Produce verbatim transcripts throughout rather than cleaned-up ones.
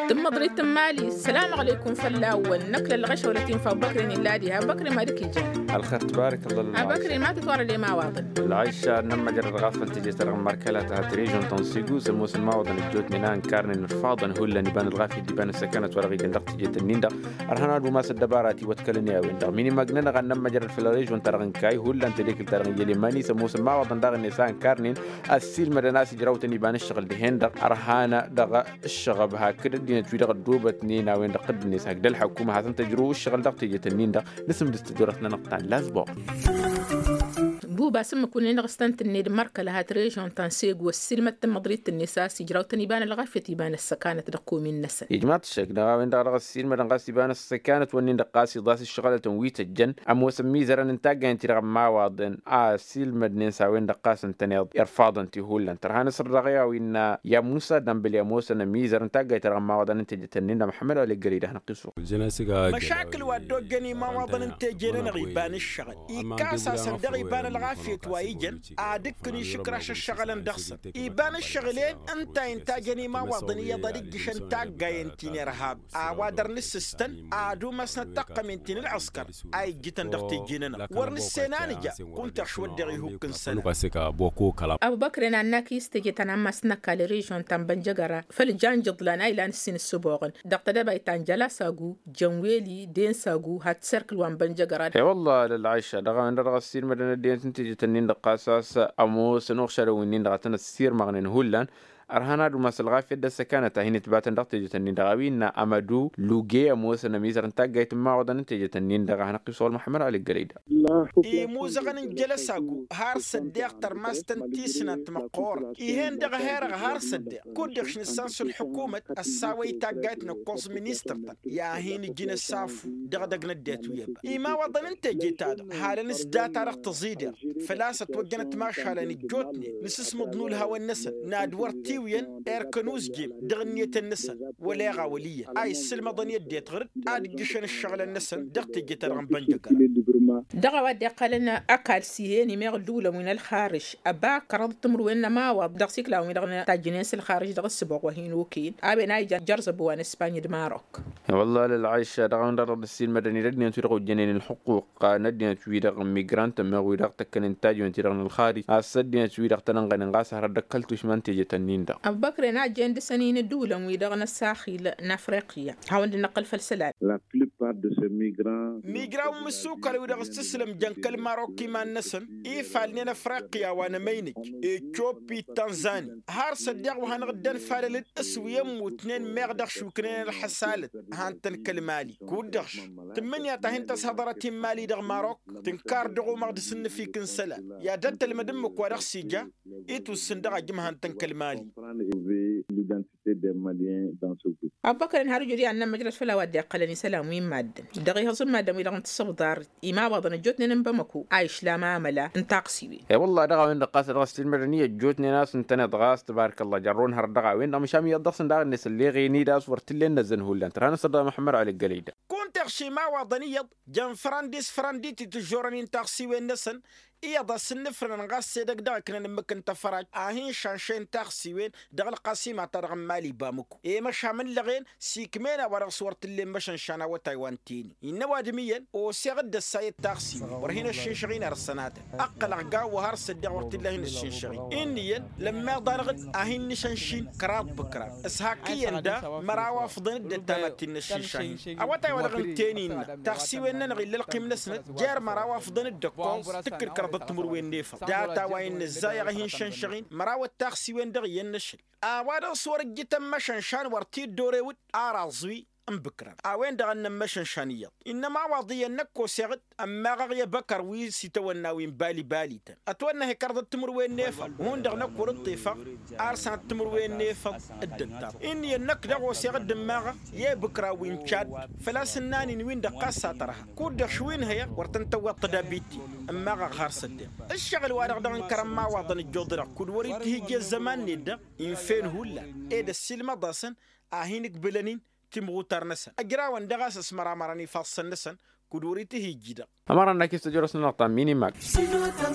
Tǝmmăḍrit n-imali. Sălam alăykum fălla-wăn. Năkk lălɣăšăwlăt-in făw băkre n-illadi ha băkre ma dăk-ijăn. Alxer tǝbarăk ăllah. A băkre ma tǝtwărăd i-imawaḍăn. Lălɣăššă n-ămmăjrăd ɣas făll-tejăt-ta-dăɣ n-markăla ta ha trežon ta n-sigu s-ămoosăn imawaḍăn ăjjootnen a ǝnkarnen ărfaḍăn hullan iba n-ălɣafyăt d-iba n-ăssăkanăt wa dăɣ-ijăn dăɣ-tejăt-nin-dăɣ. Ărhăn ad-umas ăddăbara ti wătkălăn i-a-wen-dăɣ minimăgnen ad-nămmăjrăd făll-režon-ta-dăɣ n-kayy hullan tedekǝlt-ta-dăɣ n-yălemani s-ămoosăn imawaḍăn daɣ-net a ǝnkarnen ăssiilmădăn a-s ijrawtăn iba n-ǝššăɣǝl dihen-dăɣ. Ărhăn dăɣ-ǝššăɣăb hakd ăddinăt-wi-dăɣ ăddoobătnen a-wen-dăɣ tǝddǝnet hakd ălḥăkuma hasăn-tăjrǝw ǝššăɣǝl dăɣ-teje-tăn-in-dăɣ. Nǝsǝmdǝs tăjorăt-nănăɣ ta n-lazboɣ. Buba s-ǝmmǝk wǝnnin dăɣ-s tăn-tǝnned mărkăl hat režon ta n-segu ăssiilmăd tǝmmăḍrit-net a-s ijrawtăn iba n-ălɣafyăt iba n-ăssăkanăt dăɣ-komin-năsăn. Ijmaḍ-t ăššăk dăɣ-a-wen-dăɣ dăɣ-ăssiilmădăn ɣas iba n-ăssăkanăt-wǝnnin-dăɣ ɣas iḍas ǝššăɣǝlătăn wi tăjjăn ămoosăn imizărăn n-taggayăn-ti-dăɣ n-imawaḍăn a ăssiilmădnen s-a-wen-dăɣ ɣas ǝntăneḍ irfaḍăn ti hullan tărha n-asǝr dăɣ-i a-wa innă i-amusa dămbăl i-ămoosăn amizăr n-taggayt-ta-dăɣ n-imawaḍăn n-teje-tăn-in-dăɣ măḥămmăd wa l-ăggălăy d-ad-hanăɣ-t-iswăɣ. Măšakǝl wa dd-oggăn imawaḍăn n-teje-nănăɣ iba n-ǝššăɣǝl ikkas-asăn dăɣ-iba n-ălɣafyăt wa ijăn ad-ǝkkǝn išǝkraš ǝššăɣǝlăn dăɣ-săn iba n-ǝššăɣǝl-en. Ǝnta a intajăn imawaḍăn iyyăḍ ad-ǝjjǝšăn taggayen ti n-irhab a-wa dăr-nǝssǝstăn ad-umasnăt taqqămen ti n-ălɣăskăr a ijjǝtăn dăɣ-teje-nănăɣ wăr nǝssen a nǝja. Kunta ăšwăddeɣ ihukk n-isălan. Abubăkren ad-năkk i-s teje ta n-ammas n-ăkall režon ta n-bănjăgăra făll-jan jǝḍlan a ilan ǝssin ǝssǝboɣăn dăɣ-tedăbayt ta n-jălasagu jănweli densagu hat-serkǝl wa n-bănjăgăra. E-wălla lălɣayša dăɣ-a-wen-dăɣ dăɣ-ăssiilmădăn ăddinăt n-teje-tăn-in-dăɣ ɣas a-s ămoosăn uɣšadăn wi-nin-dăɣ a tăn-ăssirmăɣnen hullan. Ărhan ad-umas ălɣafyăt d-ăssăkanăt a hin-ǝtbatăn dăɣ-teje-tăn-in-dăɣ a-wi innă amădu luge ămoosăn ămizăr n-taggayt n-imawaḍăn n-teje-tăn-in-dăɣ a hanăɣ-t-iswăɣăl măḥămmăd wa l-ǝggălăy-dăɣ. Imuzăɣăn n-jălăsagu har s-ăddeɣ tărmast n-tisnant măqqoorăt ih'-en dăɣ-herăɣ har s-ăddeɣ kud-dăɣ š-nǝssan s-ălḥǝkumăt ăssawăy taggayt n-ǝkkoẓ ministăr-tăn i-ad-hin-ǝjǝn ăsafu dăɣ-edăgg n-ăddinăt wi ăba imawaḍăn n-teje-ta-dăɣ halăn s-data dăɣ-tăẓidert făl-a-s ătwăjjănăt mašalăn ǝjjootnen nǝsǝsmǝḍ n-ulhawăn-năsăn n-ad-wăr tiwǝyăn erk ănuzjem dăɣ-ǝnniyătăn-năsăn wăla iɣawăl iyyăn a issǝlmăḍăn i-ăddinăt ɣǝr-dd ad-ǝjjǝšăn ǝššăɣǝlăn-năsăn dăɣ-teje-ta-dăɣ n-bănjăgăra. Dăɣ-a-wa dd-iqqălăn ăkall s-ih'-en imeɣ ǝddǝwǝlăn wi n-ălxarǝš ăba kăraḍăt timǝrwen n-ămawaḍ dăɣ-s iklawăn-wi-dăɣ tajjǝnen s-ălxarǝš dăɣ-ǝssǝboɣ wa hin-okăyăn a-wen a ija jărzăb wa n-ăspany d-marok. Wălla lălɣayša dăɣ-a-wen-dăɣ dăɣ-dd-ăssiilmădăn-dd ăddinăt-wi-dăɣ ojjănen ălxuquq n-ăddinăt-wi-dăɣ n-migrant ămmeɣ-wi-dăɣ tăkkănen tajjǝwen-ti-dăɣ n-ălxarǝj a-s ăddinăt-wi-dăɣ tăn-ănɣăynen ɣas a hărăt d-ăkkăl tušma n-teje-tăn-in-dăɣ. Ăbubăkre n-a jen dăr-săn-in ǝddǝwǝlăn-wi-dăɣ n-ăsaxil n-afriqya hawăn-dd-năqqǝl făll-isălan. Migraw n-imǝssukal-wi-dăɣ s-tǝslǝm jăn kăl-marok iman-năsăn ifalnen afriqya wa n-emăynăj ecopit tanzani har s-ăddeɣ wa hanăɣ-dd-ănfalălăd s-wi ămmutnen meɣ dăɣ-šuknen ălḥăsalăt. Han-tăn kăl-mali kud-dăɣ tǝmmǝnǝya ta hin-tăshăḍărăt i-n mali dăɣ-marok tǝnkar dăɣ-umăɣ d-asǝnnǝfik n-isălan i-ad-dd-tălmăd ǝmmǝk wa dăɣ-s ija itussǝn dăɣ-ajǝm han-tăn kăl-mali. Abubăkăren har ǝjud i-ad-nămmăjrăd făll-a-wa dd-iqqălăn isălan wi n-maddǝn dăɣ-ihăẓ n-maddǝn-wi-dăɣ n-tǝssăbḍar imawaḍăn ăjjootnen n-bamăko a išlam amăla n-taɣsiwen. E-wălla dăɣ-a-wen-dăɣ ɣas dăɣ-s tilmădăn-i ăjjootnen a-s ǝntăneḍ ɣas tǝbarăk ălla jărrun hărăt dăɣ-a-wen-dăɣ măšan iyyăḍ dăɣ-săn daɣ-net ălleɣen-dd a-s wăr t-ǝllen năzzăn hullan tărha n-asăr dăɣ-măḥămmăd wa l-ăggălăy-dăɣ. Kunta iɣšim awaḍăn iyyăḍ jăn fărandis fărandit itǝjjorăn-in taɣsiwen-năsăn iyyăḍ a-s ǝnnǝfrǝnăn ɣas edăgg dăɣ-ǝknăn ǝmmǝk n-tăfrajt a hin-šanšăyăn taɣsiwen dăɣ-ălqasima-ta-dăɣ n-mali bamǝko i-măšan ǝllăɣen s-ikm'-en a-wa dăɣ-s wăr t-ǝllen măšănšan awătay wa n-teni innă ăwadǝm iyyăn oseɣ-dd ăssayăt taɣsiwen wăr hin-ăššǝnšăɣ-in ar sănatăn ǝqqălăɣ gaw wa har s-ăddeɣ wăr t-illa a hin-ăššǝnšăɣ-in inn'-iyyăn lămmeḍ-anăɣ-dd a hin-nǝšănšin kăraḍ bǝkraḍ s-hakkǝyăn da măraw afḍăn-dd ăttamăt ti n-ăššǝnšan-in awătay wa dăɣ-ǝnten innă taɣsiwen-nănăɣ illa ălqim-năsnăt jer-măraw afḍăn-dd ăkkoẓ tǝkkǝl kăraḍăt timǝrwen n-efăḍ data wa innă ǝzzayăɣ a hin-šănšăɣ-in măraw ăttaɣsiwen dăɣ-iyyăn n-ašăl a-wa dăɣ-s wăr ǝjjǝtăn măšănšan wăr t-dd-orewǝd ar aẓwi n-bǝkraḍ a-wen-dăɣ a ǝnnăn măšănšan iyyăḍ innă ămawaḍ iyyăn năkk oseɣ-dd ămmaɣăɣ i-abăkăr wi s-itawănna wi n-bali-bali-tăn ătwănnăhe kăraḍăt timǝrwen n-efăḍ hundăɣ năkk wăr-dd-tifăɣ ar sănăt timǝrwen n-efăḍ dd-ăttam inn'-iyyăn năkk daɣ oseɣ-dd ǝmmaɣăɣ i-ibǝkraw wi n-cadd făl-a-s ǝnnan-in-win-dăɣ ɣas a tărha kud-dăɣ š-wi n-hăyăɣ wăr tăn-tăwweḍ tădabit-in ǝmmaɣăɣ har s-ăddeɣ ǝššăɣǝl-wa-dăɣ dăɣ-ǝnkărăn imawaḍăn ǝjjuḍ-dăɣ kud wăr-itihǝjja ăzzăman-net-dăɣ inf'-en hullan ed ăssiilmăḍ-asăn a hin-ǝkbǝlăn-in timɣutar-năsăn ăjrawăn daɣ a-s ăsmăramărăn ifassăn-năsăn kud wăr-itihǝjji dăɣ-ămăra n-akis tăjrăs-nănăɣ ta n-minimag.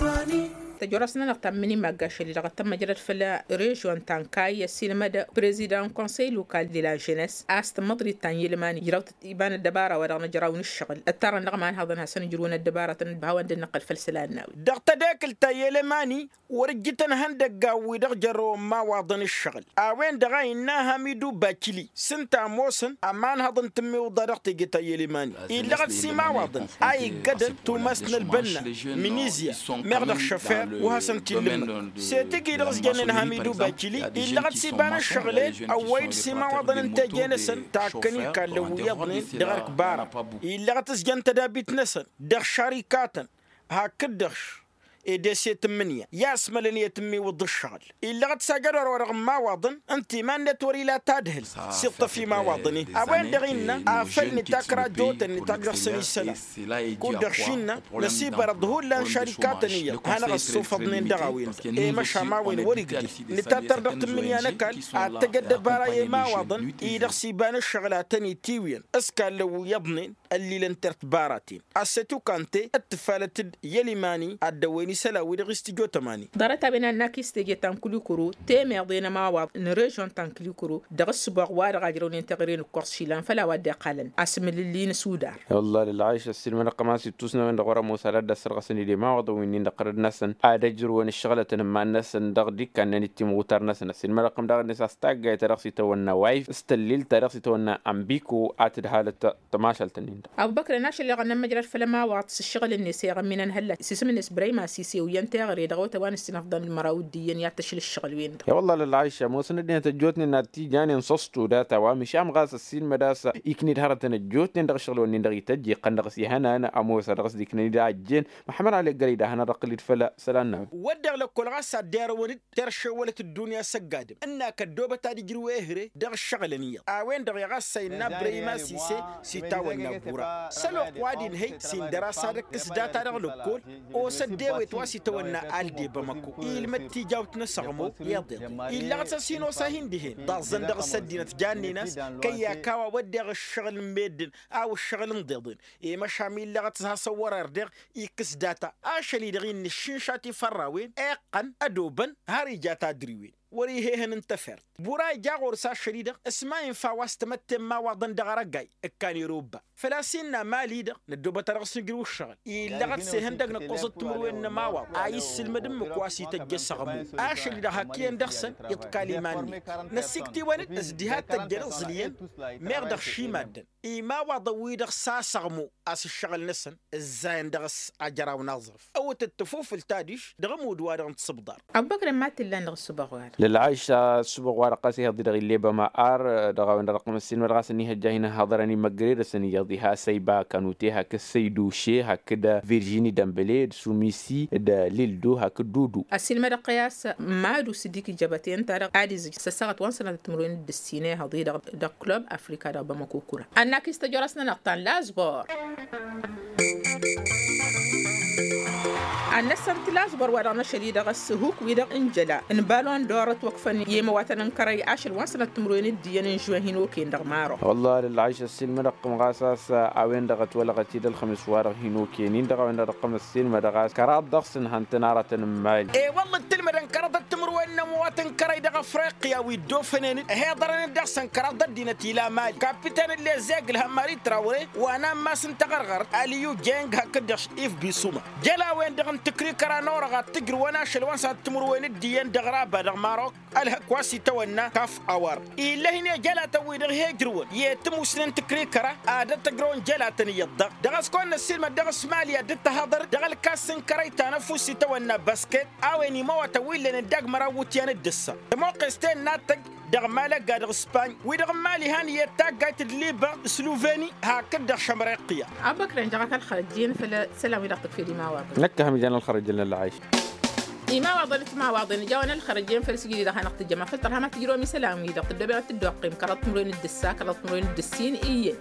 Tăjorăs-nănăɣ ta n-mǝnimagg ašăl-i-dăɣ ăttămmăjrăd făll-režion ta n-kayy ăssiilmăd prezidăn konsăy lokal de la jenes a-s tǝmmăḍrit ta n-yelmani ijrăw-tăt iba n-ăddăbara wa dăɣ-nǝjraw n-ǝššăɣǝl ǝttarăn dăɣ-imanhăḍăn hasăn-ǝjrǝwăn ăddăbaratăn d-hawăn dd-năqqăl făll-isălan n-a-wen. Dăɣ-tedekǝlt ta n-yelmani wăr-ǝjjǝtăn ihăndăgg a-wi-dăɣ jărrăwăn imawaḍăn ǝššăɣǝl a-wen-dăɣ a innă hamidu bakili s-ǝnta ămoosăn ămanhăḍ n-tǝmmiwǝḍa dăɣ-teje ta n-yelmani illăɣăt s-imawaḍăn a iggădăn tumas n-ălbănna minizya meɣ dăɣ-šăfer wa hasăn-t-illǝmmăt. S-e-tǝj-i-dăɣ s-jănnen hamidu bakili illăɣăt s-iba n-ǝššăɣǝl-en ăwwăy-dd s-imawaḍăn n-teje-năsăn takkăn ikallăn wi iyyăḍnen dăɣ-erk bara illăɣăt s-jăn tădabit-năsăn dăɣ-šarikatăn hakd-dăɣ š-edeset n-imǝnǝya i-asmălăn i-tǝmmiwǝḍ ǝššăɣǝl. Illăɣăt s-ajădor-wa-dăɣ n-imawaḍăn ǝnta iman-net wăr-ila tadhǝlt s-iṭṭăf imawaḍăn-in a-wen-dăɣ innă afăl nǝtakra ăjjootăn nǝtak dăɣ-săn isălan kud-dăɣ š-innă năsibărăḍ hullan šarikatăn iyyăḍ hanăɣ-ăssufăḍnen dăɣ-a-wen-dăɣ i-măšan a-wen wăr-igdǝl nǝtattăr dăɣ-tǝmmǝnǝya n-ăkall ad-tăj ăddăbara i-imawaḍăn-i-dăɣ s-iba n-ǝššăɣǝl ad-tăn-itiwǝyăn s-kallăn wi iyyăḍnen ăllilăn tertbaraten. Assetu kante d-tǝfalăt-dd i-ălimani ad-dăwwen isălan-wi-dăɣ s-tǝjo tămani. Ḍarăt-a-wen ad-nakis teje ta n-kǝlikǝru temeḍe n-ămawaḍ n-režion ta n-kǝlikǝru dăɣ-ǝssǝboɣ wa dăɣ-ajrăwnen teɣăre n-ǝkkoẓ išilan făll-a-wa dd-iqqalăn asǝmǝlǝlli n-ăsudar. I-wălla lălɣayš ăssiilmădăɣ-tăm a-s ittus n-a-wen-dăɣ wăr-ămoos ad-dd-ăssărɣăsăn-dd i-imawaḍăn wi-nin-dăɣ tărăd-năsăn ad-ăjrǝwăn ǝššăɣlătăn n-iman-năsăn dăɣ-dd-ikkannăn d-timɣutar-năsăn ăssiilmădăɣ-tăm daɣ-net a-s taggayt ta dăɣ-s itawănna wayf s-tăllil ta dăɣ-s itawănna ămbiko a tǝdhalăt tămašalt-nin-dăɣ. Abu băkrăn ašăl-i-dăɣ ănnămmăjrăd făll-ămawaḍ s-ǝššăɣǝl-net iɣămminăn hălla s-isǝm-net brăyma s-isew iyyăn teɣăre dăɣ-otăwa n-ǝssinăfḍăn d-măraw d-iyyăn i-ad-tăšla ǝššăɣǝl-wen-dăɣ. I-wălla lălɣayš ămoosăn ăddinăt ăjjootnen ad-t-ijanen s-ăṣṭu data wa măšan ɣas ăssiilmăd a-s ikned hărătăn ăjjootnen dăɣ-ǝššăɣǝl-wen-nin-dăɣ ităjj iqqăn dăɣ-s ihănan ămoos a dăɣ-s d-iknăned a ăjjeen. Măḥămmăd ali ăggălăy d-ahăna dăɣ-tǝllǝd făll-isălan n-a-wen. Wădden lăkkol ɣas ad-dd-irăwăn-dd teršewălăt ăddunya s-ăgg-adǝm ǝnn'-ak ăddoobăt ad-ijrǝw ehre dăɣ-ǝššăɣǝlăn iyyăḍ a-wen-dăɣ i-ɣas a innă brăyma s-ise s-itawănna ăbbura s-ăloqq wa d-inhăy s-indăr-as ad-ǝkkǝs data dăɣ-lăkkol. Osăt d-ewet wa s-itawănna alde bamăko ilmăd tijawt n-asăɣmo iḍeḍen illăɣăt s-ăsinos a hin-dihen ḍaẓăn dăɣ-s ăddinăt jannen-as kăy-ak a-wa wădden ǝššăɣǝl n-meddǝn a-wa ǝššăɣǝl n-iḍeḍen. I-măšan illăɣăt s-hasăn wăr-irdeɣ ikkǝs data ašăl-i-dăɣ innă ǝššǝnša tifărrawen iqqăn ădobăn har ija tadriwen wăr-ihehăn n-tefert. Bura ija ɣur-s ašăl-i-dăɣ s-ma infa wa s-tamătte n-imawaḍăn dăɣ-arăgay ǝkkan irobba făl-a-s innă mali-dăɣ năddoobăt ad-dăɣ-s nǝjrǝw ǝššăɣǝl illăɣăt s-ehăndăg n-ǝqqǝẓăt timǝrwen n-ămawaḍ a issǝlmăd ǝmmǝk wa s-ităjj asăɣmu. Ašăl-i-dăɣ hak iyyăn dăɣ-săn iḍkal iman-net năssiktǝwăn-dd s-diha t-tăjjăn iẓǝl iyyăn meɣ dăɣ-šimaddăn imawaḍăn-wi-dăɣ s-asăɣmu a-s ǝššăɣǝl-năsăn ǝzzayăn dăɣ-s ajăraw n-aẓrǝf. Ăwwătăt tăfufǝlt adiš dăɣ-ămudd-wa-dăɣ n-tisǝbḍar. Ăbbăkrăn ma t-illan dăɣ-ǝssǝbăɣ wa-dăɣ. Lălɣayš ăssǝbăɣ wa-dăɣ ɣas ihăḍ-i-dăɣ ill'-e băma ar dăɣ-a-wen-dăɣ dăɣ-tămăssin wa dăɣ-a-s ănihăjja hin-ăhhăḍărăn imăgre-dăsăn iyyăḍ iha săyba kanute hakd săyduše hakd virjini dămbăle d-sumisi d-lildu hakd dudu. Ăsiilmădăɣ-t i-a-s madu s-dd-ikjăbăten-ta-dăɣ ad-izǝj s-ăssaɣăt wa n-sănatăt timǝrwen d-ǝssin ihăḍ-i-dăɣ dăɣ-klub afrika dăɣ-bamăkukura. Ănn-ak istăjorăs-nănăɣ ta n-lazbor. Ad-năssănt lazbor wa dăɣ-năšăl-i-dăɣ ăssihuk-wi-dăɣ n-jăla n-balon d-or ătwăkfăn i-imăwatăn n-kărăy ašăl wa n-sănăt timǝrwen d-iyyăn n-žuwen hin-okăyăn dăɣ-maroc. Wălla lălɣayš ăssiilmădăɣ-tăm ɣas a-s a-wen dăɣ-ătwălăɣăt-dd ălxămis-wa-dăɣ hin-okăyăn-in-dăɣ a-wen-dăɣ dăɣ-tăm ăssiilmădăɣ a-s kăraḍ dăɣ-săn han-tăn-aratăn n-imali. E-wălla dd-tǝlmădăn kăraḍăt timǝrwen n-ămwatăn kărăy dăɣ-afriqya wi dd-ofănen-dd ăhiḍărăn-dd dăɣ-săn kăraḍ ăddinăt ila mali kapiten n-lezeg ǝlhămmari trawre wa n-ammas n-taɣărɣărt aliyu jeng hakd-dăɣ if bisuma. Jăl-a-wen-dăɣ n-tǝkrikăra n-orăɣ ad-tǝjrǝwăn ašăl wa n-sănat timǝrwen d-iyyăn dăɣ-raba dăɣ-marok. Ălhăk wa s-itawănna kaf awar illa hin-ejălatăn-wi-dăɣ he-ǝjrǝwăn i-tǝmusnen tǝkrikăra ad-ătăjrăwăn jălatăn iyyăḍ-dăɣ dăɣ-s kăwăn-năssiilmăd dăɣ-s mali ad-dd-tăhaḍăr dăɣ-ălkas n-kărăy ta n-ăfuss itawănna basket. A-wen imawătăn wi ǝllănen d-agmăraw iwǝtyan d-ǝssa tămoqqes-ten n-ad-tăj dăɣ-malaga dăɣ-spany wi-dăɣ n-mali han iyyăt taggayt d-liba sluveni hakd-dăɣ šămreqya. Abăkrăn jăɣăt ălxărăjjen făll-isălan-wi-dăɣ tǝkfed imawaḍăn. Năkk a ham ijan ălxărăjjăn n-ălɣayš. Imawaḍăn d-timawaḍen ijawăn ălxărăjjen făll-sǝjǝd-i-dăɣ hanăɣ-tǝjjăm afăl tărha ma tǝjrǝwăm isălan-wi-dăɣ tǝddobem ad-tǝddoqqem kăraḍ timǝrwen d-ǝssa kăraḍ timǝrwen d-ǝssin iyyăn.